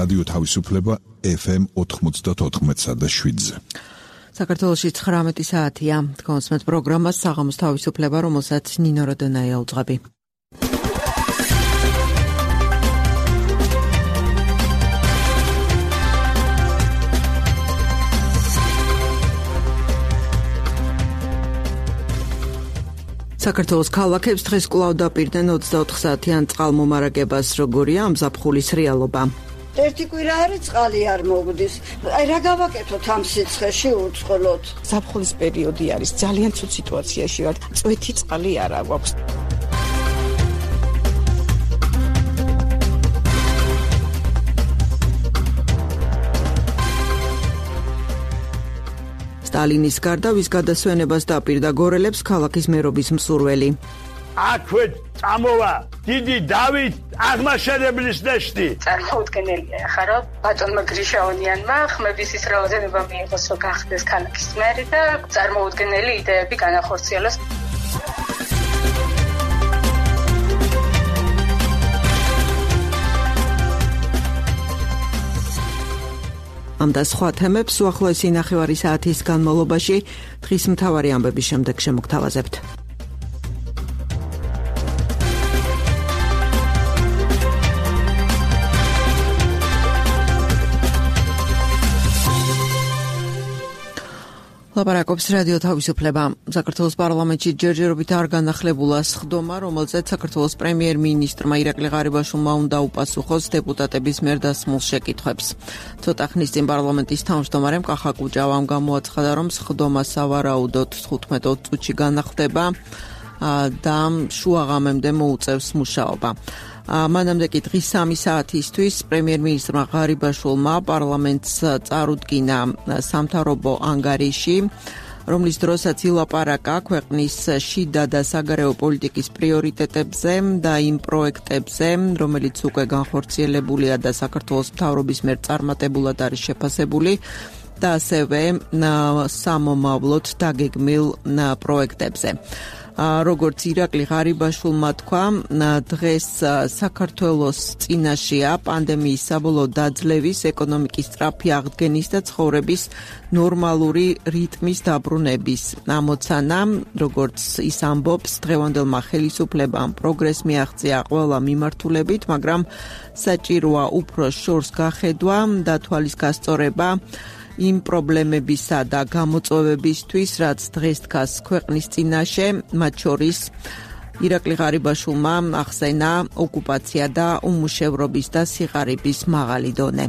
რადიო თავისუფლება FM 94.7-ზე. საქართველოში 19 საათია. კონსმეთ პროგრამას საღამოს თავისუფლება, რომელსაც ნინო როდონაია უძღვები. საქართველოს ქალაქებს დღეს კვლავ დაპირდნენ 24 საათიან წყალმომარაგებას. როგორია ამ ზაფხულის რეალობა? ერთი კვირა არის წყალი არ მოგდის. აი რა გავაკეთოთ ამ სიცხეში უწყლოდ? ზაფხულის პერიოდი არის, ძალიან ცუდ სიტუაციაში ვართ. წვეთი წყალი არ აქვს. სტალინის გარდა ვის გადასვენებას დაპირდა გორელებს ქალაქის მერობის მსურველი. აქვე წამოვა დიდი დავით აღმაშენებლის ნეშტი. წარმოუდგენელია ხა რომ ბატონმა გრიშაონიანმა ხმების ის რაოდენობა მიიღოს რომ გახდეს ქალაქის მერი და წარმოუდგენელი იდეები განახორციელოს. ამ და სხვა თემებს უახლოესი ნახევარი საათის განმავლობაში დღის მთავარი ამბების შემდეგ შემოგთავაზებთ. ლაპარაკობს რადიო თავისუფლება. საქართველოს პარლამენტში ჯერჯერობით არ განახლებულა სხდომა, რომელზეც საქართველოს პრემიერ-მინისტრმა ირაკლი ღარიბაშვილმა უნდა უპასუხოს დეპუტატების მიერ დასმულ შეკითხვებს. ცოტა ხნის წინ პარლამენტის თავმჯდომარემ კახა კუჭავამ გამოაცხადა, რომ სხდომა სავარაუდოდ 15 წუთში განახლდება და შუაღამემდე მოუწევს მუშაობა. მანამდე კი დღის 3 საათისთვის პრემიერ-მინისტრმა ღარიბაშვილმა პარლამენტს წარუდგინა სამთავრობო ანგარიში, რომლის დროსაც ილაპარაკა ქვეყნის შიდა და საგარეო პოლიტიკის პრიორიტეტებზე და იმ პროექტებზე, რომელიც უკვე განხორციელებულია და საქართველოს მთავრობის მიერ წარმატებულად არის შეფასებული და ასევე სამომავლოდ დაგეგმილ პროექტებზე. როგორც ირაკლი ღარიბაშვილმა თქვა, დღეს საქართველოს წინაშეა პანდემიის საბოლოო დაძლევის, ეკონომიკის სწრაფი აღდგენის და ცხოვრების ნორმალური რიტმის დაბრუნების ამოცანა, როგორც ის ამბობს, დღევანდელმა ხელისუფლებამ პროგრესს მიაღწია ყველა მიმართულებით, მაგრამ საჭიროა უფრო შორს გახედვა და თვალის გასწორება იმ პრობლემებისა და გამოწვევებისთვის, რაც დღეს დგას ქვეყნის წინაშე, მათ შორის ირაკლი ღარიბაშვილმა ახსენა ოკუპაცია და უმუშევრობის და სიღარიბის მაღალი დონე.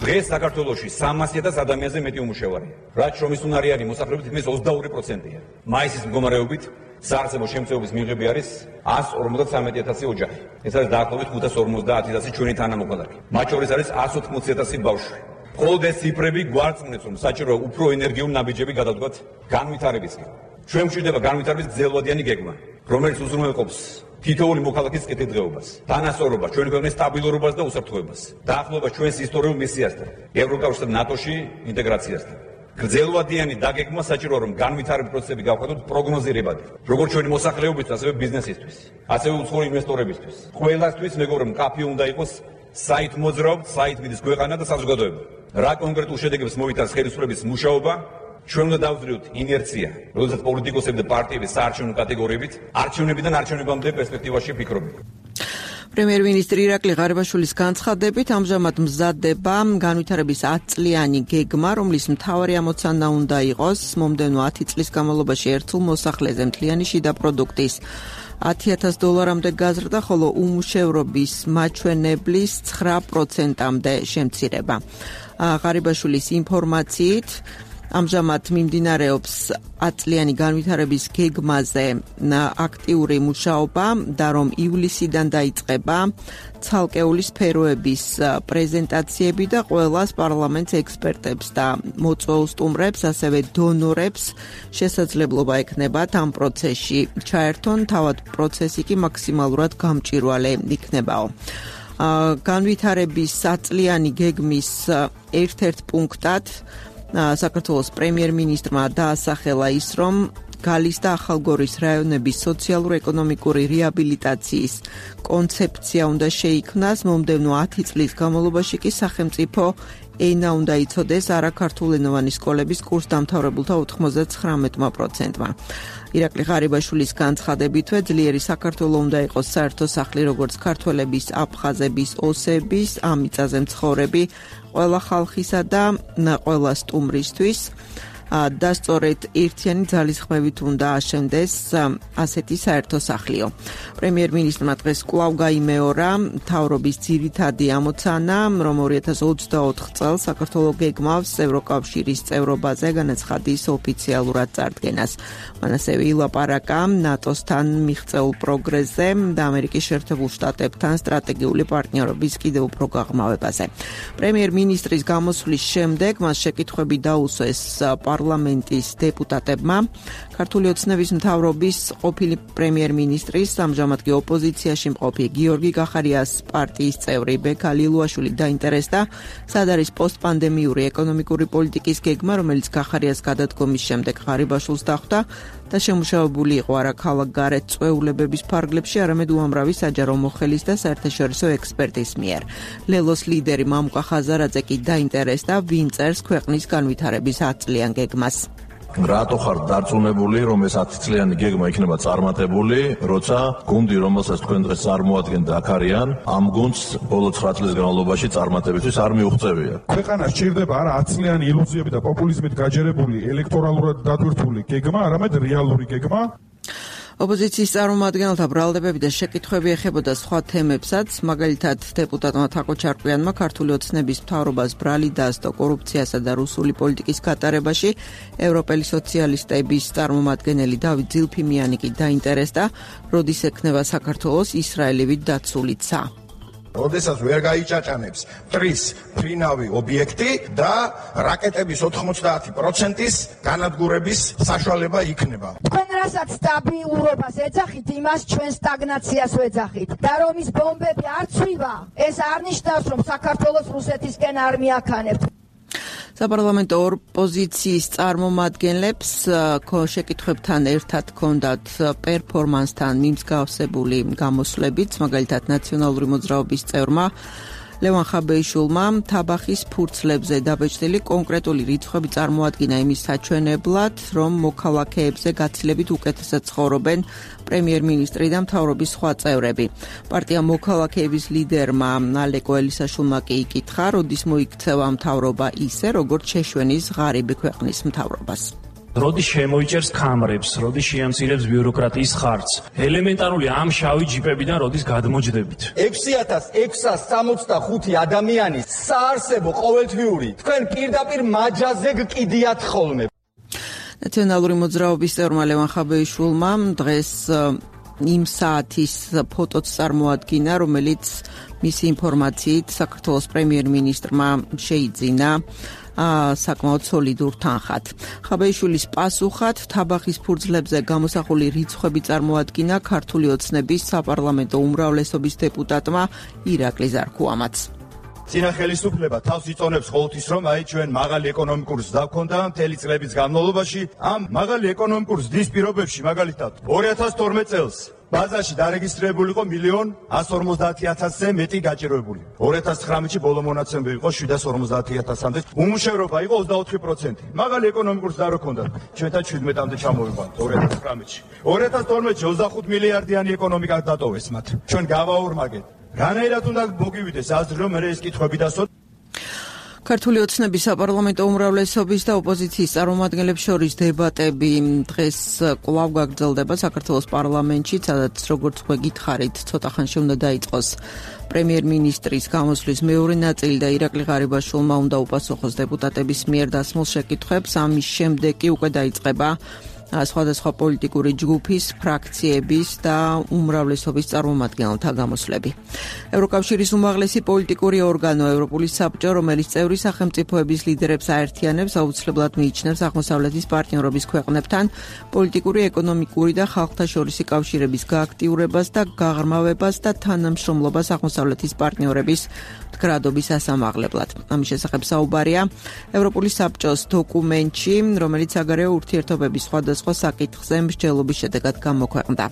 დღეს საქართველოში 300,000 ადამიანზე მეტი უმუშევარია, რაც შრომის უნარი არის მოსახლეობის თითქმის 22%-ია. მაისის მდგომარეობით საარსებო შემწეობის მიღები არის 153,000 ოჯახი. ეს არის დაახლოებით 550,000 ჩვენი თანამოქალაქე. მათ შორის არის 180,000 ბავშვი. მხოლოდ ეს ციფრები გვარწმუნებს, რომ საჭიროა უფრო ენერგიული ნაბიჯები გადავდგათ განვითარებისკენ. ჩვენ გვჭირდება განვითარების გრძელვადიანი გეგმა, რომელიც უზრუნველყოფს თითოეული მოქალაქის კეთილდღეობას, თანასწორობას, ჩვენი ქვეყნის სტაბილურობას და უსაფრთხოებას, დაახლოებას ჩვენს ისტორიულ მისიასთან, ევროკავშირსა და ნატოში ინტეგრაციასთან. გრძელვადიანი დაგეგმა საჭიროა, რომ განვითარების პროცესები გავხადოთ პროგნოზირებადი, როგორც ჩვენი მოსახლეობისთვის, ასევე ბიზნესისთვის, ასევე უცხოური ინვესტორებისთვის. ყველასთვის მეგობრებო, მკაფიო უნდა იყოს საით მოძრაობთ, საით მიდის ქვეყანა და საზოგადოება. რა კონკრეტულ შედეგებს მოიტანს ხელისუფლების მუშაობა, ჩვენ უნდა დავზრიოთ ინერცია, როდესაც პოლიტიკოსები და პარტიები საარჩევნო კატეგორიებით არჩევნებიდან არჩევნებამდე პერსპექტივაში ფიქრობენ. პრემიერ-მინისტრი ირაკლი ღარიბაშვილის განცხადებით, ამჟამად მზადდება განვითარების 10 წლიანი გეგმა, რომლის მთავარი ამოცანა უნდა იყოს მომდევნო 10 წლის განმავლობაში ერთულ მოსახლეზე მთლიანი შიდა პროდუქტის $10,000-მდე გაზრდა, ხოლო უმუშევრობის მაჩვენებლის 9%-მდე შემცირება. ღარიბაშვილის ინფორმაციით, ამჟამად მიმდინარეობს 10 წლიანი განვითარების გეგმაზე აქტიური მუშაობა და რომ ივლისიდან დაიწყება ცალკეული სფეროების პრეზენტაციები და ყველას პარლამენტს ექსპერტებს და მოწვეულ სტუმრებს, ასევე დონორებს შესაძლებლობა ექნებათ ამ პროცესში ჩაერთონ, თავად პროცესი კი მაქსიმალურად გამჭვირვალე იქნებაო. განვითარების 10 წლიანი გეგმის ერთ-ერთ პუნქტად საქართველოს პრემიერ-მინისტრმა დაასახელა ის, რომ გალის და ახალგორის რაიონების სოციალურ-ეკონომიკური რეაბილიტაციის კონცეფცია უნდა შეიქმნას. მომდევნო 10 წლის განმავლობაში კი სახელმწიფო ენა უნდა იცოდეს არაქართულენოვანი სკოლების კურსდამთავრებულთა 99%-მა. ირაკლი ღარიბაშვილის განცხადებითვე ძლიერი საქართველო უნდა იყოს საერთო სახლი, როგორც ქართველების, აფხაზების, ოსების, ამ მიწაზე მცხოვრები ყველა ხალხისა და ყველა სტუმრისთვის და სწორედ ერთიანი ძალისხმევით უნდა აშენდეს ასეთი საერთო სახლიო. პრემიერ-მინისტრმა დღეს კვლავ გაიმეორა მთავრობის ძირითადი ამოცანა, რომ 2024 წელს საქართველო გეგმავს ევროკავშირის წევრობაზე განაცხადის ოფიციალურად წარდგენას. მან ასევე ილაპარაკა ნატოსთან მიღწეულ პროგრესზე და ამერიკის შეერთებულ შტატებთან სტრატეგიული პარტნიორობის კიდევ უფრო გაღრმავებაზე. პრემიერ-მინისტრის გამოსვლის შემდეგ მას შეკითხვები დაუსვეს პარლამენტის დეპუტატებმა. ქართული ოცნების მთავრობის ყოფილი პრემიერ-მინისტრის, ამჟამად კი ოპოზიციაში მყოფი გიორგი გახარიას პარტიის წევრი ბექა ლილუაშვილი დაინტერესდა, სად არის პოსტპანდემიური ეკონომიკური პოლიტიკის გეგმა, რომელიც გახარიას გადადგომის შემდეგ ღარიბაშვილს დახვდა და შემუშავებული იყო არა ქალაქ გარეთ წვეულებების ფარგლებში, არამედ უამრავი საჯარო მოხელის და საერთაშორისო ექსპერტის მიერ. ლელოს ლიდერი მამუკა ხაზარაძე კი დაინტერესდა, ვინ წერს ქვეყნის განვითარების 10 წლიან გეგმას. რატო ხარ დარწმუნებული, რომ ეს 10 წლიანი გეგმა იქნება წარმატებული, როცა გუნდი, რომელსაც თქვენ დღეს წარმოადგენთ აქ არიან, ამ გუნდს ბოლო 9 წლის განმავლობაში წარმატებისთვის არ მიუღწევია. ქვეყანა სჭირდება არა 10 წლიანი ილუზიები და პოპულიზმით გაჯერებული ელექტორალურად დატვირთული გეგმა, არამედ რეალური გეგმა. ოპოზიციის წარმომადგენელთა ბრალდებები და შეკითხვები ეხებოდა სხვა თემებსაც, მაგალითად დეპუტატმა თაკო ჩარკვიანმა ქართული ოცნების მთავრობას ბრალი დაასდო კორუფციასა და რუსული პოლიტიკის გატარებაში. ევროპელი სოციალისტების წარმომადგენელი დავით ძილფიმიანი კი დაინტერესდა, როდის ექნება საქართველოს ისრაელივით დაცული ცა. როდესაც ვერ გაიჭაჭანებს მტრის ფრინავი ობიექტი და რაკეტების 90%-ის განადგურების საშუალება იქნება. თქვენ რასაც სტაბილურობას ეძახით, იმას ჩვენ სტაგნაციას ვეძახით. და რომ ის ბომბები არ ცვივა, ეს არ ნიშნავს, რომ საქართველოს რუსეთისკენ არ მიაქანებთ. საპარლამენტო ოპოზიციის წარმომადგენლებს შეკითხვებთან ერთად ჰქონდათ პერფორმანსთან მიმსგავსებული გამოსვლებიც, მაგალითად ნაციონალური მოძრაობის წევრმა ლევან ხაბეიშვილმა თაბახის ფურცლებზე დაბეჭდილი კონკრეტული რიცხვები წარმოადგინა იმის საჩვენებლად, რომ მოქალაქეებზე გაცილებით უკეთესად ცხოვრობენ პრემიერ-მინისტრი და მთავრობის სხვა წევრები. პარტია მოქალაქეების ლიდერმა ალეკო ელისაშვილმა კი იკითხა, როდის მოიქცევა მთავრობა ისე, როგორც შეშვენის ღარიბი ქვეყნის მთავრობას. როდის შემოიჭერს ქამრებს, როდის შეამცირებს ბიუროკრატიის ხარჯს. ელემენტარული ამ შავი ჯიპებიდან როდის გადმოჯდებით. 6665 ადამიანის საარსებო ყოველთვიური თქვენ პირდაპირ მაჯაზე გკიდიათ ხოლმე. ნაციონალური მოძრაობის წევრმა ლევან ხაბეიშვილმა დღეს იმ საათის ფოტოც წარმოადგინა, რომელიც მისი ინფორმაციით საქართველოს პრემიერ-მინისტრმა შეიძინა საკმაოდ სოლიდურ თანხად. ხაბეიშვილის პასუხად თაბახის ფურცლებზე გამოსახული რიცხვები წარმოადგინა ქართული ოცნების საპარლამენტო უმრავლესობის დეპუტატმა ირაკლი ზარქუამაც. წინა ხელისუფლება თავს იწონებს ყოველთვის, რომ ჩვენ მაღალი ეკონომიკური ზრდა გვქონდა მთელი წლების განმავლობაში. ამ მაღალი ეკონომიკური ზრდის პირობებში, მაგალითად 2012 წელს ბაზაში დარეგისტრირებული იყო 1.150.000-ზე მეტი გაჭირვებული. 2019-ში ბოლო მონაცემები იყო 750.000-მდე. უმუშევრობა იყო 24%. მაღალი ეკონომიკური ზრდა რო ქონდა, ჩვენთან 17-მდე ჩამოვიყვანთ 2019-ში. 2012-ში 25 მილიარდიანი ეკონომიკა დატოვეს მათ. ჩვენ გავაორმაგეთ. რანაირად უნდა მოგივიდეს აზრი, რომ ეს კითხვები დასვათ. ქართული ოცნების საპარლამენტო უმრავლესობის და ოპოზიციის წარმომადგენლებს შორის დებატები დღეს კვლავ გაგრძელდება საქართველოს პარლამენტში, სადაც როგორც გვეკითხარით, ცოტა ხანში უნდა დაიწყოს პრემიერ-მინისტრის გამოსვლის მეორე ნაწილი და ირაკლი ღარიბაშვილმა უნდა უპასუხოს დეპუტატების მიერ დასმულ შეკითხვებს. ამის შემდეგ კი უკვე დაიწყება სხვადასხვა პოლიტიკური ჯგუფის, ფრაქციების და უმრავლესობის წარმომადგენელთა გამოსვლები. ევროკავშირის უმაღლესი პოლიტიკური ორგანო ევროპული საბჭო, რომელიც წევრი სახელმწიფოების ლიდერებს აერთიანებს, აუცილებლად მიიჩნევს აღმოსავლეთის პარტნიორობის ქვეყნებთან პოლიტიკური, ეკონომიკური და ხალხთა შორისი კავშირების გააქტიურებას და გაღრმავებას და თანამშრომლობას აღმოსავლეთის პარტნიორების მდგრადობის ასამაღლებლად. ამის შესახებ საუბარია ევროპული საბჭოს დოკუმენტში, რომელიც საგარეო ურთიერთობების სხვადასხვა სხვადასხვა საკითხზე მსჯელობის შედეგად გამოქვეყნდა.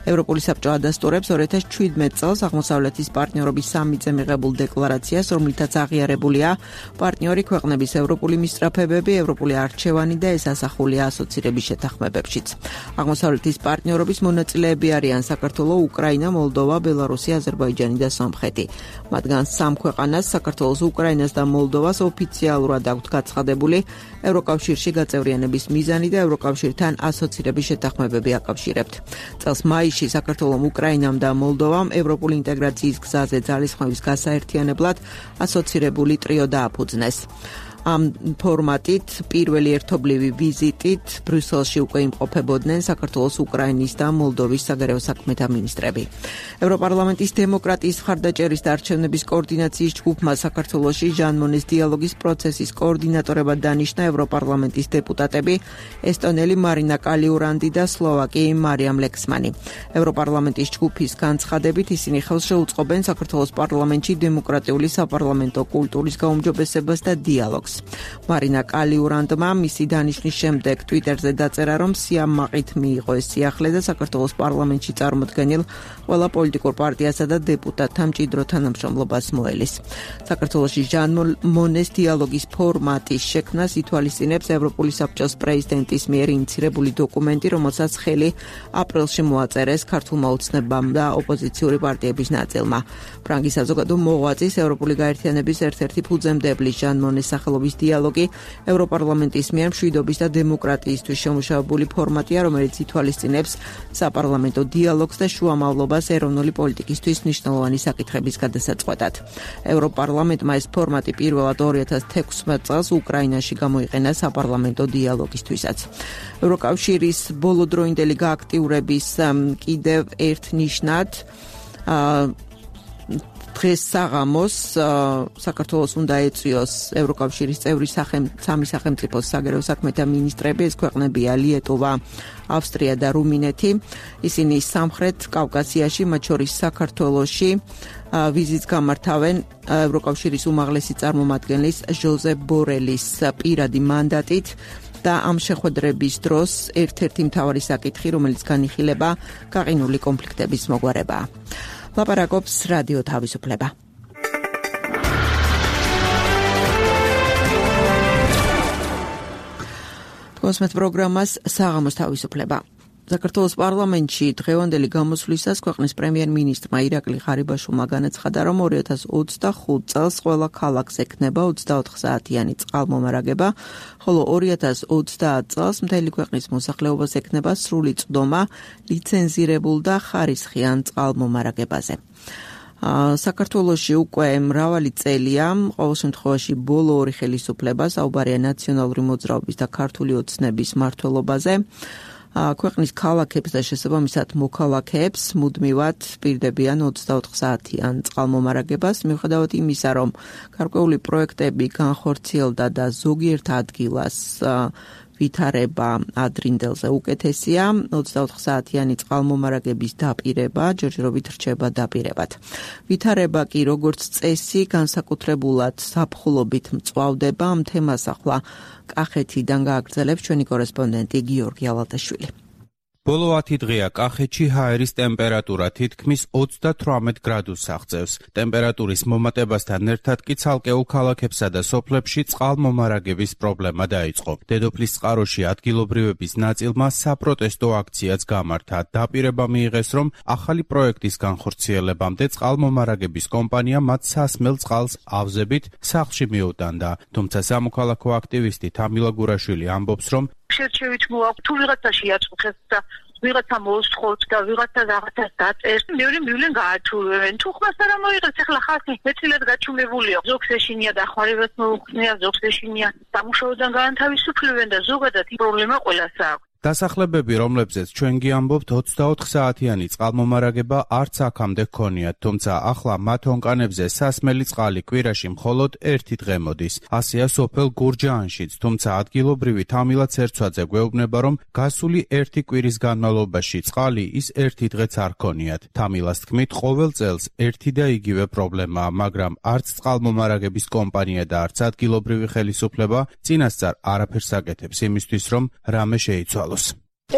ევროპული საბჭო ადასტურებს 2017 წელს აღმოსავლეთის პარტნიორობის სამიტზე მიღებულ დეკლარაციას, რომლითაც აღიარებულია პარტნიორი ქვეყნების ევროპული მისწრაფებები, ევროპული არჩევანი და ეს ასახულია ასოცირების შეთანხმებებშიც. აღმოსავლეთის პარტნიორობის მონაწილეები არიან საქართველო, უკრაინა, მოლდოვა, ბელარუსი, აზერბაიჯანი და სომხეთი. მათგან 3 ქვეყანას, საქართველოს, უკრაინას და მოლდოვას ოფიციალურად აქვთ გაცხადებული ევროკავშირში გაწევრიანების მიზანი და ევროკავშირთან ასოცირების შეთანხმებები აკავშირებთ. წელს მაისში საქართველომ, უკრაინამ და მოლდოვამ ევროპული ინტეგრაციის გზაზე ძალისხმევის გასაერთიანებლად ასოცირებული ტრიო დააფუძნეს. ამ ფორმატით პირველი ერთობლივი ვიზიტით ბრიუსელში უკვე იმყოფებოდნენ საქართველოს, უკრაინის და მოლდოვის საგარეო საქმეთა მინისტრები. ევროპარლამენტის დემოკრატიის მხარდაჭერის და არჩევნების კოორდინაციის ჯგუფმა საქართველოში ჟან მონეს დიალოგის პროცესის კოორდინატორებად დანიშნა ევროპარლამენტის დეპუტატები ესტონელი მარინა კალიურანდი და სლოვაკი მარიამ ლექსმანი. ევროპარლამენტის ჯგუფის განცხადებით ისინი ხელს შეუწყობენ საქართველოს პარლამენტში დემოკრატიული საპარლამენტო კულტურის გაუმჯობესებას და დიალოგს. მარინა კალიურანდმა მისი დანიშნის შემდეგ ტვიტერზე დაწერა, რომ სიამაყით მიიღო ეს სიახლე და საქართველოს პარლამენტში წარმოდგენილ ყველა პოლიტიკურ პარტიასა და დეპუტატთა მჭიდრო თანამშრომლობას მოელის. საქართველოში ჟან მონეს დიალოგის ფორმატის შექმნას ითვალისწინებს ევროპული საბჭოს პრეზიდენტის მიერ ინიცირებული დოკუმენტი, რომელსაც ხელი აპრილში მოაწერეს ქართულმა ოცნებამ და ოპოზიციური პარტიების ნაწილმა. ფრანგი საზოგადო მოღვაწის ევროპული გაერთიანების ერთ-ერთი ფუძემდებელი ჟან მონეს სახელობის დიალოგი ევროპარლამენტის მიერ მშვიდობის და დემოკრატიისთვის შემუშავებული ფორმატია, რომელიც ითვალისწინებს საპარლამენტო დიალოგს და შუამავლობას ეროვნული პოლიტიკისთვის მნიშვნელოვანი საკითხების გადასაწყვეტად. ევროპარლამენტმა ეს ფორმატი პირველად 2016 წელს უკრაინაში გამოიყენა საპარლამენტო დიალოგისთვისაც. ევროკავშირის ბოლოდროინდელი გააქტიურების კიდევ ერთ ნიშნად დღეს საღამოს საქართველოს უნდა ეწვიოს ევროკავშირის წევრი სამი სახელმწიფოს საგარეო საქმეთა მინისტრები, ეს ქვეყნებია ლიეტუვა, ავსტრია და რუმინეთი. ისინი სამხრეთ კავკასიაში, მათ შორის საქართველოში ვიზიტს გამართავენ ევროკავშირის უმაღლესი წარმომადგენლის ჟოზეფ ბორელის პირადი მანდატით და ამ შეხვედრების დროს ერთ-ერთი მთავარი საკითხი, რომელიც განიხილება, გაყინული კონფლიქტების მოგვარებაა. ლაპარაკობს რადიო თავისუფლება. თქვენს პროგრამას საღამოს თავისუფლება. საქართველოს პარლამენტში დღევანდელი გამოსვლისას ქვეყნის პრემიერ-მინისტრმა ირაკლი ღარიბაშვილმა განაცხადა, რომ 2025 წელს ყველა ქალაქს ექნება 24 საათიანი წყალმომარაგება, ხოლო 2030 წელს მთელი ქვეყნის მოსახლეობას ექნება სრული წვდომა ლიცენზირებულ და ხარისხიან წყალმომარაგებაზე. საქართველოში უკვე მრავალი წელია, ყოველ შემთხვევაში ბოლო 2 ხელისუფლება საუბარია ნაციონალური მოძრაობის და ქართული ოცნების მმართველობაზე. ქვეყნის ქალაქებს და შესაბამისად მოქალაქეებს მუდმივად პირდებიან 24 საათიან წყალმომარაგებას, მიუხედავად იმისა, რომ გარკვეული პროექტები განხორციელდა და ზოგიერთ ადგილას ვითარება ადრინდელზე უკეთესია, 24 საათიანი წყალმომარაგების დაპირება ჯერჯერობით რჩება დაპირებად. ვითარება კი როგორც წესი განსაკუთრებულად ზაფხულობით მწვავდება. ამ თემას ახლა კახეთიდან გააგრძელებს ჩვენი კორესპონდენტი გიორგი ალატაშვილი. ბოლო 10 დღეა კახეთში ჰაერის ტემპერატურა თითქმის 38 გრადუსს აღწევს. ტემპერატურის მომატებასთან ერთად კი ცალკეულ ქალაქებსა და სოფლებში წყალმომარაგების პრობლემა დაიწყო. დედოფლის წყაროში ადგილობრივების ნაწილმა საპროტესტო აქციაც გამართა. დაპირება მიიღეს, რომ ახალი პროექტის განხორციელებამდე წყალმომარაგების კომპანია მათ სასმელ წყალს ავზებით სახლში მიუტანდა. თუმცა სამოქალაქო აქტივისტი თამილა გურაშვილი ამბობს, რომ შერჩევით მოაქვს თუ ვიღაცა შეაწუხებს და ვიღაცა მოსთხოვს და ვიღაცა რაღაცას დაწერს, მეორე მივლენ გააჩულებენ. თუ ხმას არ მოიღებს, ახლა ხალხი მეტილად გაჩუმებულია. ზოგს ეშინია დახმარებას მოუხსნია, ზოგს ეშინია სამუშაოდან გაანთავისუფლებენ და ზოგადად პრობლემა ყველას აქვს. დასახლებები, რომლებზეც ჩვენ გიამბობთ, 24 საათიანი წყალმომარაგება არც აქამდე ჰქონიათ, თუმცა ახლა მათ ონკანებზე სასმელი წყალი კვირაში მხოლოდ 1 დღე მოდის. ასეა სოფელ გურჯაანშიც, თუმცა ადგილობრივი თამილა ცერცვაძე გვეუბნება, რომ გასული 1 კვირის განმავლობაში წყალი ის 1 დღეც არ ჰქონიათ. თამილას თქმით, ყოველ წელს ერთი და იგივე პრობლემაა, მაგრამ არც წყალმომარაგების კომპანია და არც ადგილობრივი ხელისუფლება წინასწარ არაფერს აკეთებს იმისთვის, რომ რამე შეიცვალოს.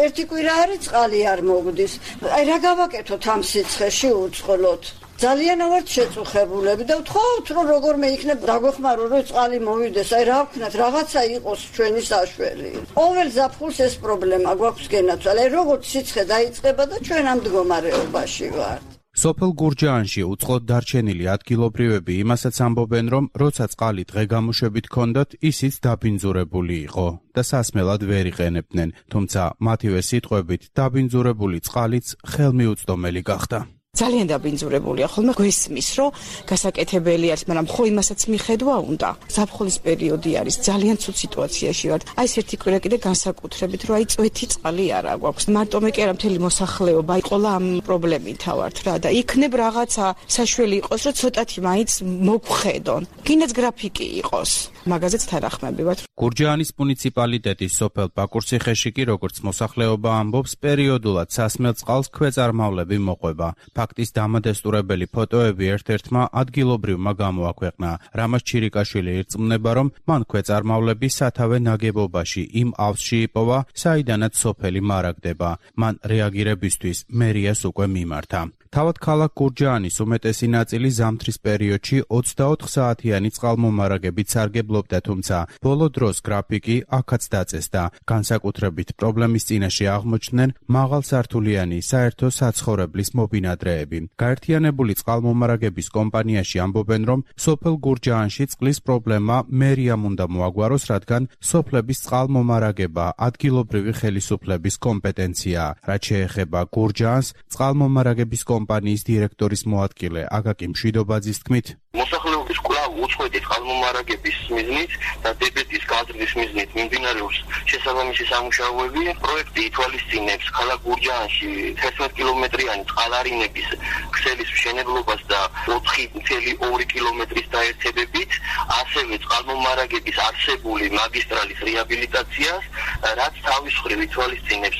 ერთი კვირა არის წყალი არ მოგდის. აი რა გავაკეთოთ ამ სიცხეში უწყლოდ? ძალიან ვართ შეწუხებულები და ვთხოვთ რომ როგორმე იქნებ დაგვეხმარო რომ წყალი მოვიდეს. აი რა ვქნათ, რაღაცა იყოს ჩვენი საშველი. ყოველ ზაფხულს ეს პრობლემა გვაქვს გენაცვალე. აი როგორც სიცხე დაიწყება და ჩვენ ამ მდგომარეობაში ვართ. სოფელ გურჯაანში უწყლოდ დარჩენილი ადგილობრივები იმასაც ამბობენ, რომ როცა წყალი დღე-გამოშვებით ჰქონდათ, ისიც დაბინძურებული იყო და სასმელად ვერ იყენებდნენ, თუმცა მათივე სიტყვებით დაბინძურებული წყალიც ხელმიუწვდომელი გახდა. ძალიან დაბინძურებულია, ხოლმე გვესმის, რომ გასაკეთებელი არის, მაგრამ ხო იმასაც მიხედვა უნდა. ზაფხულის პერიოდი არის, ძალიან ცუდ სიტუაციაში ვართ. აი ეს ერთი კვირა კიდე განსაკუთრებით, რომ აი წვეთი წყალი არა გვაქვს. მარტომე კი არა, მთელი მოსახლეობა იყოლა ამ პრობლემით ვართ რა და იქნებ რაღაცა საშველი იყოს, რომ ცოტათი მაინც მოგხედონ. გინდაც გრაფიკი იყოს. მაგაზეც თანახმები ვართ. გურჯაანის მუნიციპალიტეტის სოფელ ბაკურციხეში კი როგორც მოსახლეობა ამბობს, პერიოდულად სასმელ წყალს ქვეწარმავლები მოყვება. ფაქტის დამადესტურებელი ფოტოები ერთ-ერთმა ადგილობრივმა გამოაქვეყნა. რამაზ ჩირიკაშვილი ირწმუნება, რომ მან ქვეწარმავლები სათავე ნაგებობაში იმ ავსში იპოვა, საიდანაც სოფელი მარაგდება. მან რეაგირებისთვის მერიას უკვე მიმართა. თავად ქალაქ გურჯაანის უმეტესი ნაწილი ზამთრის პერიოდში 24 საათიანი წყალმომარაგებით სარგებლობდა, თუმცა ბოლო დროს გრაფიკი აქაც დაწესდა. განსაკუთრებით პრობლემის წინაშე აღმოჩნდნენ მაღალსართულიანი საერთო საცხოვრებლის მობინადრეები. გაერთიანებული წყალმომარაგების კომპანიაში ამბობენ, რომ სოფელ გურჯაანში წყლის პრობლემა მერიამ უნდა მოაგვაროს, რადგან სოფლების წყალმომარაგება ადგილობრივი ხელისუფლების კომპეტენციაა. რაც შეეხება გურჯაანს, წყალმომარაგების კომპანიის დირექტორის მოადგილე აკაკი მშვიდობაძის თქმით, მოსახლეობის კვლავ უწყვეტი წყალმომარაგების მიზნით და დებეტის გაზრდის მიზნით მიმდინარეობს შესაბამისი სამუშაოები. პროექტი ითვალისწინებს ქალაქ გურჯაანში 11 კილომეტრიანი წყალარინების ქსელის მშენებლობას და 4,2 კილომეტრის დაერთებებით, ასევე წყალმომარაგების არსებული მაგისტრალის რეაბილიტაციას, რაც თავის მხრივ ითვალისწინებს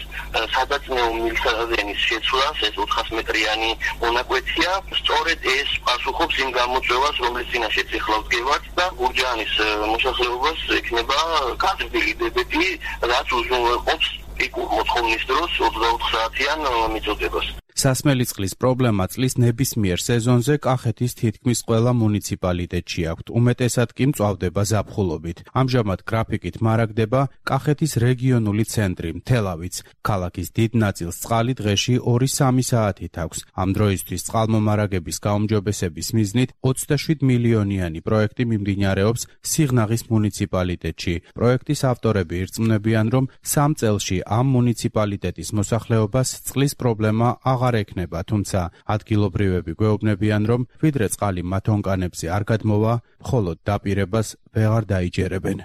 სადაწნეო მილსადენის შეცვლას, ეს 400 მეტრიანი მონაკვეთია. სწორედ ეს პასუხობს იმ გამოწვევას, რომლის წინაშეც ეხლა ვდგევართ და გურჯაანის მოსახლეობას ექნება გაზრდილი დებეტი, რაც უზრუნველყოფს პიკურ მოთხოვნის დროს 24 საათიან მიწოდებას. სასმელი წყლის პრობლემა წლის ნებისმიერ სეზონზე კახეთის თითქმის ყველა მუნიციპალიტეტში აქვთ, უმეტესად კი მწვავდება ზაფხულობით. ამჟამად გრაფიკით მარაგდება კახეთის რეგიონული ცენტრი მთელავიც. ქალაქის დიდ ნაწილს წყალი დღეში 2-3 საათით აქვს. ამ დროისთვის წყალმომარაგების გაუმჯობესების მიზნით 27 მილიონიანი პროექტი მიმდინარეობს სიღნაღის მუნიციპალიტეტში. პროექტის ავტორები ირწმუნებიან, რომ 3 წელში ამ მუნიციპალიტეტის მოსახლეობას წყლის პრობლემა აღარ ეკნება, თუმცა ადგილობრივები გვეუბნებიან, რომ ვიდრე წყალი მათ ონკანებზე არ გადმოვა, მხოლოდ დაპირებას ვეღარ დაიჯერებენ.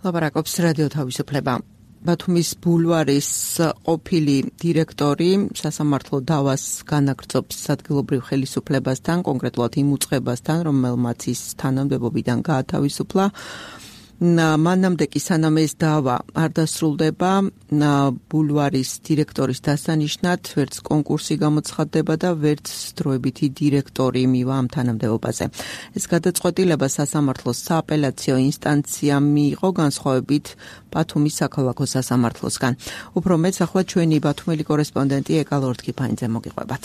ლაპარაკობს რადიო თავისუფლება. ბათუმის ბულვარის ყოფილი დირექტორი სასამართლო დავას განაგრძობს ადგილობრივ ხელისუფლებასთან, კონკრეტულად იმ უწყებასთან, რომელმაც ის თანამდებობიდან გაათავისუფლა. მანამდე კი სანამ ეს დავა არ დასრულდება, ბულვარის დირექტორის დასანიშნად ვერც კონკურსი გამოცხადდება და ვერც დროებითი დირექტორი მივა ამ თანამდებობაზე. ეს გადაწყვეტილება სასამართლოს სააპელაციო ინსტანციამ მიიღო განსხვავებით ბათუმის საქალაქო სასამართლოსგან. უფრო მეც ახლა ჩვენი ბათუმელი კორესპონდენტი ეკა ლორთქიფანიძე მოგიყვებათ.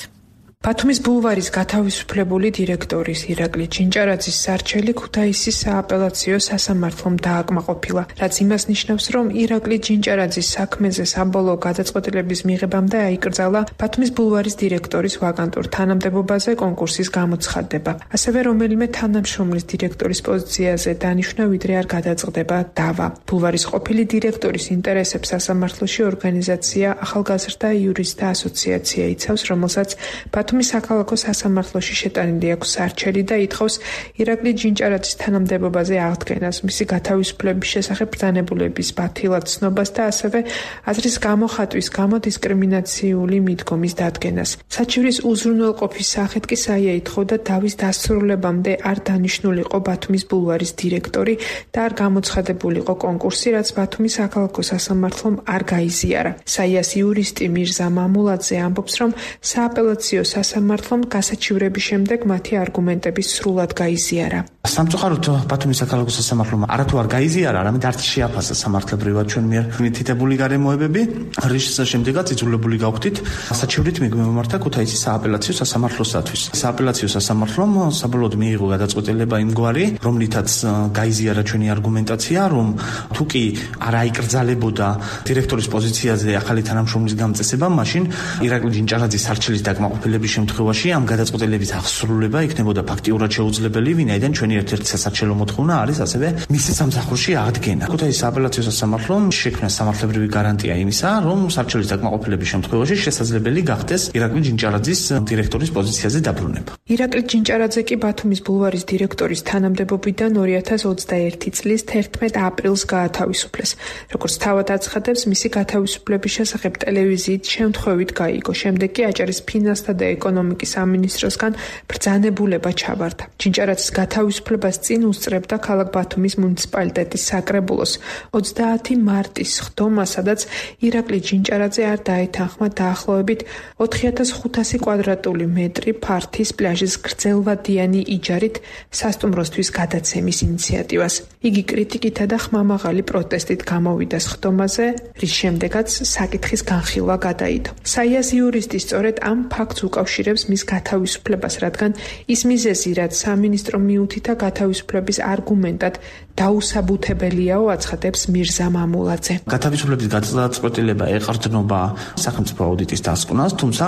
ბათუმის ბულვარის გათავისუფლებული დირექტორის ირაკლი ჩინჭარაძის სარჩელი ქუთაისის სააპელაციო სასამართლომ დააკმაყოფილა, რაც იმას ნიშნავს, რომ ირაკლი ჩინჭარაძის საქმეზე საბოლოო გადაწყვეტილების მიღებამდე აიკრძალა ბათუმის ბულვარის დირექტორის ვაკანტურ თანამდებობაზე კონკურსის გამოცხადება. ასევე რომელიმე თანამშრომლის დირექტორის პოზიციაზე დანიშვნა ვიდრე არ გადაწყდება დავა. ბულვარის ყოფილი დირექტორის ინტერესებს სასამართლოში ორგანიზაცია ახალგაზრდა იურისტთა ასოციაცია იცავს, რომელსაც ბათუმის საქალაქო სასამართლოში შეტანილი აქვს სარჩელი და ითხოვს ირაკლი ჩინჭარაძის თანამდებობაზე აღდგენას, მისი გათავისუფლების შესახებ ბრძანებულების ბათილად ცნობას და ასევე აზრის გამოხატვის გამო დისკრიმინაციული მიდგომის დადგენას. საჩივრის უზრუნველყოფის სახით კი საია ითხოვდა დავის დასრულებამდე არ დანიშნულიყო ბათუმის ბულვარის დირექტორი და არ გამოცხადებულიყო კონკურსი, რაც ბათუმის საქალაქო სასამართლომ არ გაიზიარა. საიას იურისტი მირზა მამულაძე ამბობს, რომ სააპელაციო სასამართლომ გასაჩივრების შემდეგ მათი არგუმენტები სრულად გაიზიარა. სამწუხაროდ ბათუმის საქალაქო სასამართლომ არათუ არ გაიზიარა, არამედ არც შეაფასა სამართლებრივად ჩვენ მიერ მითითებული გარემოებები, რის შემდეგაც იძულებული გავხდით საჩივრით მივმართა ქუთაისის სააპელაციო სასამართლოსათვის. სააპელაციო სასამართლომ საბოლოოდ მიიღო გადაწყვეტილება იმგვარი, რომლითაც გაიზიარა ჩვენი არგუმენტაცია, რომ თუ კი არ აიკრძალებოდა დირექტორის პოზიციაზე ახალი თანამშრომლის გამწესება, მაშინ ირაკლი ჯინჭარაძის სარჩელის დაკმაყოფილების შემთხვევაში ამ გადაწყვეტილების აღსრულება იქნებოდა ფაქტიურად შეუძლებელი, ვინაიდან ჩვენი ერთ-ერთი სასარჩელო მოთხოვნა არის ასევე მისი სამსახურში აღდგენა. ქუთაისის სააპელაციო სასამართლომ შექმნა სამართლებრივი გარანტია იმისა, რომ სარჩელის დაკმაყოფილების შემთხვევაში შესაძლებელი გახდეს ირაკლი ჯინჭარაძის დირექტორის პოზიციაზე დაბრუნება. ირაკლი ჯინჭარაძე კი ბათუმის ბულვარის დირექტორის თანამდებობიდან 2021 წლის 11 აპრილს გაათავისუფლეს. როგორც თავად აცხადებს, მისი გათავისუფლების შესახებ ტელევიზიით შემთხვევით გაიგო. შემდეგ კი აჭარის ფინანსთა და ეკონომიკის სამინისტროსგან ბრძანებულება ჩაბარდა. ჯინჭარაძის გათავისუფლებას წინ უსწრებდა ქალაქ ბათუმის მუნიციპალიტეტის საკრებულოს 30 მარტის ხდომა, სადაც ირაკლი ჯინჭარაძე არ დაეთანხმა დაახლოებით 4500 კვადრატული მეტრი ფართის პლაჟის გრძელვადიანი იჯარით სასტუმროსთვის გადაცემის ინიციატივას. იგი კრიტიკითა და ხმამაღალი პროტესტით გამოვიდა სხდომაზე, რის შემდეგაც საკითხის განხილვა გადაიდო. საიას იურისტი სწორედ ამ ფაქტს უკავშირებს მის გათავისუფლებას, რადგან ის მიზეზი, რაც სამინისტრო მიუთითა გათავისუფლების არგუმენტად დაუსაბუთებელიაო, აცხადებს მირზა მამულაძე. გათავისუფლების გადაწყვეტილება ეყრდნობა სახელმწიფო აუდიტის დასკვნას, თუმცა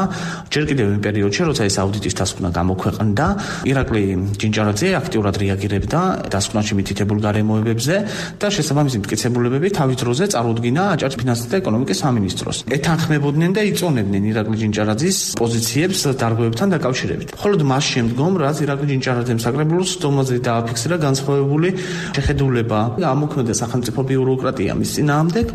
ჯერ კიდევ იმ პერიოდში, როცა ეს აუდიტის დასკვნა გამოქვეყნდა, ირაკლი ჯინჭარაძე აქტიურად რეაგირებდა დასკვნაში მითითებულ გარემოებებზე და შესაბამისი მტკიცებულებები თავის დროზე წარუდგინა აჭარის ფინანსთა და ეკონომიკის სამინისტროს. ეთანხმებოდნენ და იწონებდნენ ირაკლი ჯინჭარაძის პოზიციებს დარღვევებთან დაკავშირებით. მხოლოდ მას შემდგომ, რაც ირაკლი ჯინჭარაძემ საკრებულოს სხდომაზე დააფიქსირა განსხვავებული შეხედულება, ამოქმედა სახელმწიფო ბიუროკრატია მის წინააღმდეგ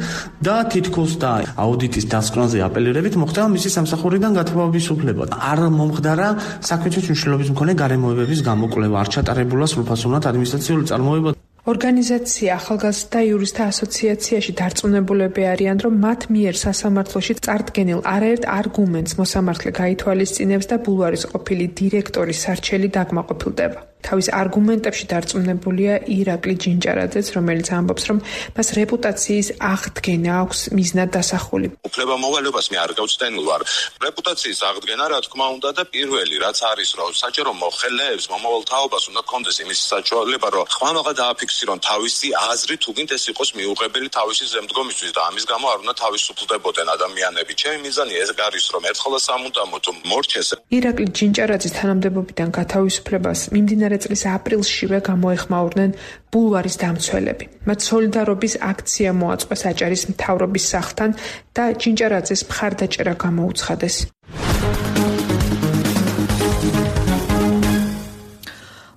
და თითქოს და აუდიტის დასკვნაზე აპელირებით მოხდა მისი სამსახურიდან გათავისუფლება. არ მომხდარა საქმეთა მნიშვნელობის მქონე გარემოებების გამოკვლევა, არ ჩატარებულა სრულფასოვნად ადმინისტრაციული წარმოება. ორგანიზაცია ახალგაზრდა იურისტთა ასოციაციაში დარწმუნებულები არიან, რომ მათ მიერ სასამართლოში წარდგენილ არაერთ არგუმენტს მოსამართლე გაითვალისწინებს და ბულვარის ყოფილი დირექტორის სარჩელი დაკმაყოფილდება. თავის არგუმენტებში დარწმუნებულია ირაკლი ჯინჭარაძეც, რომელიც ამბობს, რომ მას რეპუტაციის აღდგენა აქვს მიზნად დასახული. უფლებამოვალეობას მე არ გავცდენილ ვარ. რეპუტაციის აღდგენა, რა თქმა უნდა, და პირველი რაც არის, რომ საჯარო მოხელეებს მომავალ თაობას უნდა კონდეს იმის საშუალება, რომ ხმამაღლა დააფიქსირონ თავისი აზრი, თუ გინდ ეს იყოს მიუღებელი თავისი ზემდგომისთვის და ამის გამო არ უნდა თავისუფლდებოდნენ ადამიანები. ჩემი მიზანი ეს არის, რომ ერთხელ სამუდამოდ მორჩეს. ირაკლი ჯინჭარაძის თანამდებობიდან გათავისუფლებას მიმდინარე წლის აპრილშივე გამოეხმაურნენ ბულვარის დამცველები. მათ სოლიდარობის აქცია მოაწყვეს აჭარის მთავრობის სახლთან და ჯინჭარაძეს მხარდაჭერა გამოუცხადეს.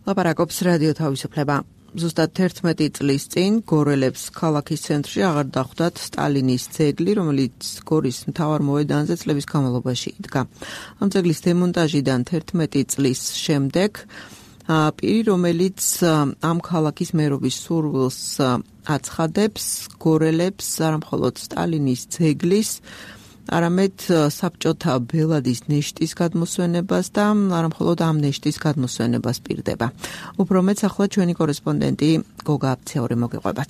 ლაპარაკობს რადიო თავისუფლება. ზუსტად 11 წლის წინ გორელებს ქალაქის ცენტრში აღარ დახვდათ სტალინის ძეგლი, რომელიც გორის მთავარ მოედანზე წლების განმავლობაში იდგა. ამ ძეგლის დემონტაჟიდან 11 წლის შემდეგ პირი, რომელიც ამ ქალაქის მერობის სურვილს აცხადებს, გორელებს არამხოლოდ სტალინის ძეგლის, არამედ საბჭოთა ბელადის ნეშტის გადმოსვენებას და არამხოლოდ ამ ნეშტის გადმოსვენებას პირდება. უფრო მეც ახლა ჩვენი კორესპონდენტი გოგა აფცეური მოგეყვებათ.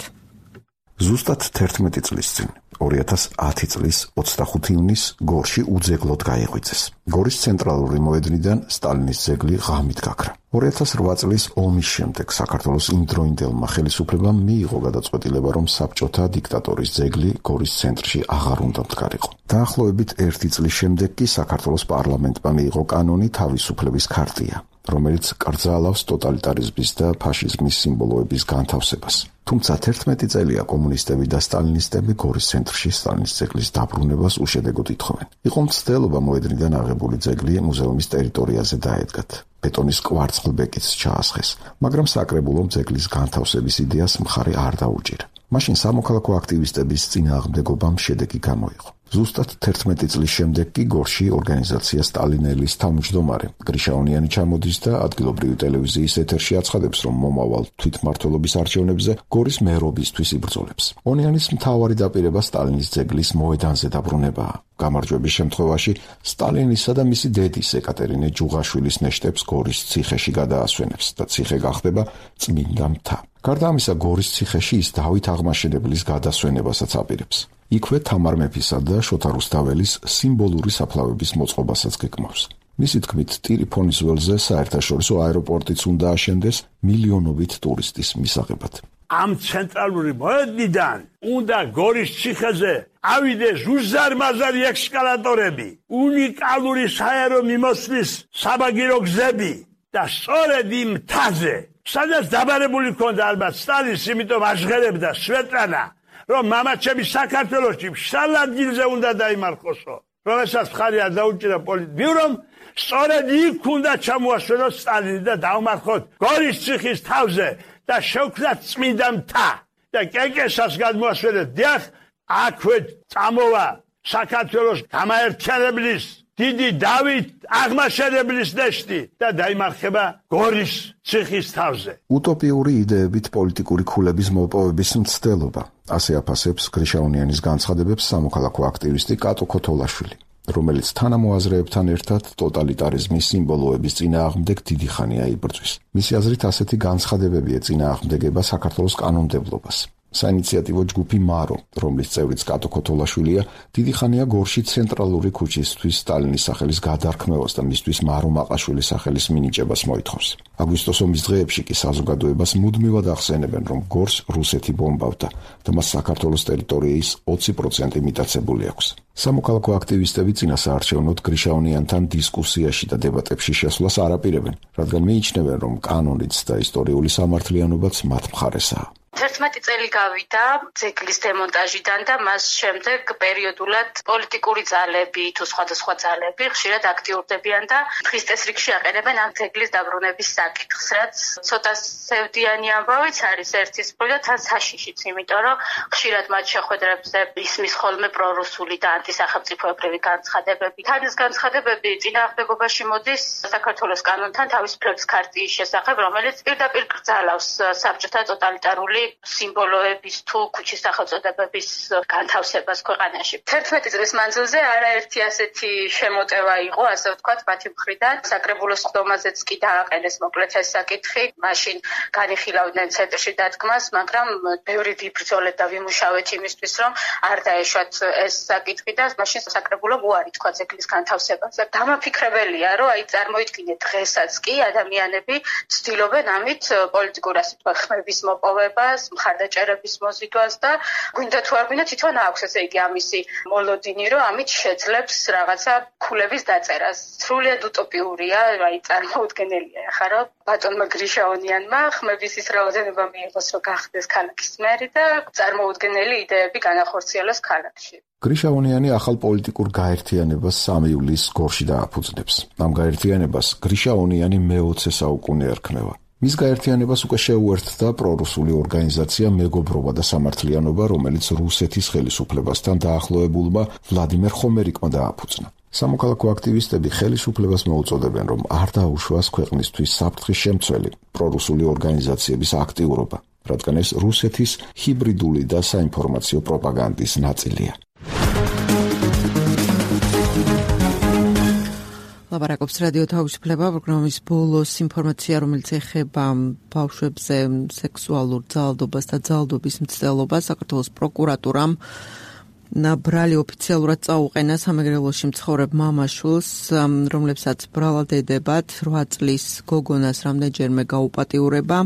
ზუსტად 11 წლის წინ 2010 წლის 25 ივნისს გორში უძეგლოდ გაიღვიძეს. გორის ცენტრალური მოედნიდან სტალინის ძეგლი ღამით გაქრა. 2008 წლის ომის შემდეგ საქართველოს იმდროინდელმა ხელისუფლებამ მიიღო გადაწყვეტილება, რომ საბჭოთა დიქტატორის ძეგლი გორის ცენტრში აღარ უნდა მდგარიყო. დაახლოებით 1 წლის შემდეგ კი საქართველოს პარლამენტმა მიიღო კანონი თავისუფლების ქარტია, რომელიც კრძალავს ტოტალიტარიზმის და ფაშიზმის სიმბოლოების განთავსებას. თუმცა 11 წელია კომუნისტები და სტალინისტები გორის ცენტრში სტალინის ძეგლის დაბრუნებას უშედეგოდ ითხოვენ. იყო მცდელობა მოედნიდან აღებული ძეგლი მუზეუმის ტერიტორიაზე დაედგათ. ბეტონის კვარცხლბეკიც ჩაასხეს, მაგრამ საკრებულომ ძეგლის განთავსების იდეას მხარი არ დაუჭირა. მაშინ სამოქალაქო აქტივისტების წინააღმდეგობამ შედეგი გამოიღო. ზუსტად 11 წლის შემდეგ კი გორში ორგანიზაცია სტალინელის თავმჯდომარე გრიშაონიანი ჩამოდის და ადგილობრივი ტელევიზიის ეთერში აცხადებს, რომ მომავალ თვითმმართველობის არჩევნებზე გორის მერობისთვის იბრძოლებს. ონიანის მთავარი დაპირება სტალინის ძეგლის მოედანზე დაბრუნებაა. გამარჯვების შემთხვევაში სტალინისა და მისი დედის ეკატერინე ჯუღაშვილის ნეშტებს გორის ციხეში გადაასვენებს და ციხე გახდება წმინდა მთა. გარდა ამისა, გორის ციხეში ის დავით აღმაშენებლის გადასვენებასაც აპირებს. იქვე თამარ მეფისა და შოთა რუსთაველის სიმბოლური საფლავების მოწყობასაც გეკმავს. მისი თქმით, ტირიფონის ველზე საერთაშორისო აეროპორტიც უნდა აშენდეს მილიონობით ტურისტის მისაღებად. ამ ცენტრალური მოედნიდან უნდა გორის ციხეზე ავიდეს უზარმაზარი ექსკალატორები, უნიკალური საერო მიმოსვლის საბაგირო გზები და სწორედ იმ მთაზე, სადაც დაბარებული ჰქონდა ალბათ სტალინს, იმიტომ აღღერებდა სვეტლანა, რომ მამაჩემი საქართველოში მშრალ ადგილზე უნდა დაიმარხოსო, რომელსაც მხარი არ დაუჭირა პოლიტბიურომ, სწორედ იქ უნდა ჩამოასვენოს სტალინი და დავმარხოთ გორის ციხის თავზე და შევქმნათ წმინდა მთა და კეკეშას გადმოასვენეთ. დიახ, აქვე წამოვა საქართველოს გამაერთიანებლის დიდი დავით აღმაშენებლის ნეშტი და დაიმარხება გორის ციხის თავზე. უტოპიური იდეებით პოლიტიკური ქულების მოპოვების მცდელობა. ასე აფასებს გრიშაონიანის განცხადებებს სამოქალაქო აქტივისტი კატო ქოთოლაშვილი, რომელიც თანამოაზრეებთან ერთად ტოტალიტარიზმის სიმბოლოების წინააღმდეგ დიდი ხანია იბრძვის. მისი აზრით, ასეთი განცხადებები ეწინააღმდეგება საქართველოს კანონმდებლობას. საინიციატივო ჯგუფი მარო, რომლის წევრიც კატო ქოთოლაშვილია, დიდი ხანია გორში ცენტრალური ქუჩისთვის სტალინის სახელის გადარქმევას და მისთვის მარო მაყაშვილის სახელის მინიჭებას მოითხოვს. აგვისტოს ომის დღეებში კი საზოგადოებას მუდმივად ახსენებენ, რომ გორს რუსეთი ბომბავდა და მას საქართველოს ტერიტორიის 20% მიტაცებული აქვს. სამოქალაქო აქტივისტები წინასაარჩევნოდ გრიშაონიანთან დისკუსიაში და დებატებში შესვლას არ აპირებენ, რადგან მიიჩნევენ, რომ კანონიც და ისტორიული სამართლიანობაც მათ მხარესაა. 11 წელი გავიდა ძეგლის დემონტაჟიდან და მას შემდეგ პერიოდულად პოლიტიკური ძალები თუ სხვადასხვა ძალები ხშირად აქტიურდებიან და დღის წესრიგში აყენებენ ამ ძეგლის დაბრუნების საკითხს, რაც ცოტა სევდიანი ამბავიც არის ერთის მხრივ და თან საშიშიც, იმიტომ რომ ხშირად მათ შეხვედრებზე ისმის ხოლმე პრორუსული და ანტისახელმწიფოებრივი განცხადებები. თან ეს განცხადებები წინააღმდეგობაში მოდის საქართველოს კანონთან თავისუფლების ქარტიის შესახებ, რომელიც პირდაპირ კრძალავს საბჭოთა ტოტალიტარული სიმბოლოების თუ ქუჩის სახელწოდებების განთავსებას ქვეყანაში. 11 წლის მანძილზე არაერთი ასეთი შემოტევა იყო, ასე ვთქვათ, მათი მხრიდან. საკრებულოს ხდომაზეც კი დააყენეს მოკლედ ეს საკითხი. მაშინ განიხილავდნენ ცენტრში დადგმას, მაგრამ ბევრი ვიბრძოლეთ და ვიმუშავეთ იმისთვის, რომ არ დაეშვათ ეს საკითხი და მაშინ საკრებულომ უარი თქვა ძეგლის განთავსებას. დამაფიქრებელია, რომ აი წარმოიდგინეთ დღესაც კი ადამიანები ცდილობენ ამით პოლიტიკურ ასე ვთქვათ ხმების მოპოვებას, მხარდაჭერების მოზიდვას და გვინდა თუ არ გვინდა თვითონ აქვს ესე იგი ამისი მოლოდინი, რომ ამით შეძლებს რაღაცა ქულების დაწერას. სრულიად უტოპიურია, აი წარმოუდგენელია ახლა რომ ბატონმა გრიშაონიანმა ხმების ის რაოდენობა მიიღოს, რომ გახდეს ქალაქის მერი და წარმოუდგენელი იდეები განახორციელოს ქალაქში. გრიშაონიანი ახალ პოლიტიკურ გაერთიანებას 3 ივლისს გორში დააფუძნებს. ამ გაერთიანებას გრიშაონიანი მე-20 საუკუნე ერქმევა. მის გაერთიანებას უკვე შეუერთდა პრორუსული ორგანიზაცია მეგობრობა და სამართლიანობა, რომელიც რუსეთის ხელისუფლებასთან დაახლოებულმა ვლადიმერ ხომერიკმა დააფუძნა. სამოქალაქო აქტივისტები ხელისუფლებას მოუწოდებენ, რომ არ დაუშვას ქვეყნისთვის საფრთხის შემცველი პრორუსული ორგანიზაციების აქტიურობა, რადგან ეს რუსეთის ჰიბრიდული და საინფორმაციო პროპაგანდის ნაწილია. ლაპარაკობს რადიო თავისუფლება პროგრამის ბოლოს ინფორმაცია, რომელიც ეხება ბავშვებზე სექსუალურ ძალადობას და ძალადობის მცდელობას. საქართველოს პროკურატურამ ბრალი ოფიციალურად წაუყენა სამეგრელოში მცხოვრებ მამაშვილს, რომლებსაც ბრალად ედებათ 8 წლის გოგონას რამდენჯერმე გაუპატიურება,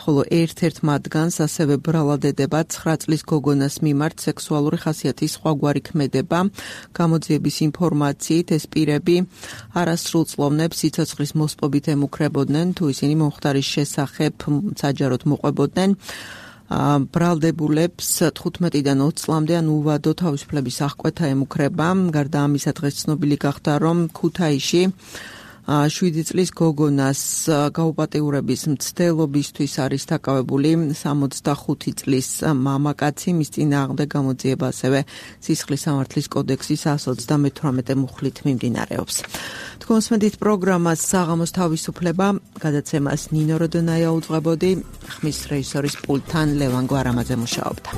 ხოლო ერთ-ერთ მათგანს ასევე ბრალად ედებათ 9 წლის გოგონას მიმართ სექსუალური ხასიათის სხვაგვარი ქმედება. გამოძიების ინფორმაციით ეს პირები არასრულწლოვნებს სიცოცხლის მოსპობით ემუქრებოდნენ, თუ ისინი მომხდარის შესახებ საჯაროდ მოყვებოდნენ. ბრალდებულებს 15-დან 20 წლამდე ან უვადო თავისუფლების აღკვეთა ემუქრება. გარდა ამისა, დღეს ცნობილი გახდა, რომ ქუთაისში 7 წლის გოგონას გაუპატიურების მცდელობისთვის არის დაკავებული 65 წლის მამაკაცი, მის წინააღმდეგ გამოძიება ასევე სისხლის სამართლის კოდექსის 138 მუხლით მიმდინარეობს. თქვენსმენთ პროგრამას საღამოს თავისუფლება, გადაცემას ნინო როდონაია უძღვებოდი, ხმის რეჟისორის პულტთან ლევან გვარამაძე მუშაობდა.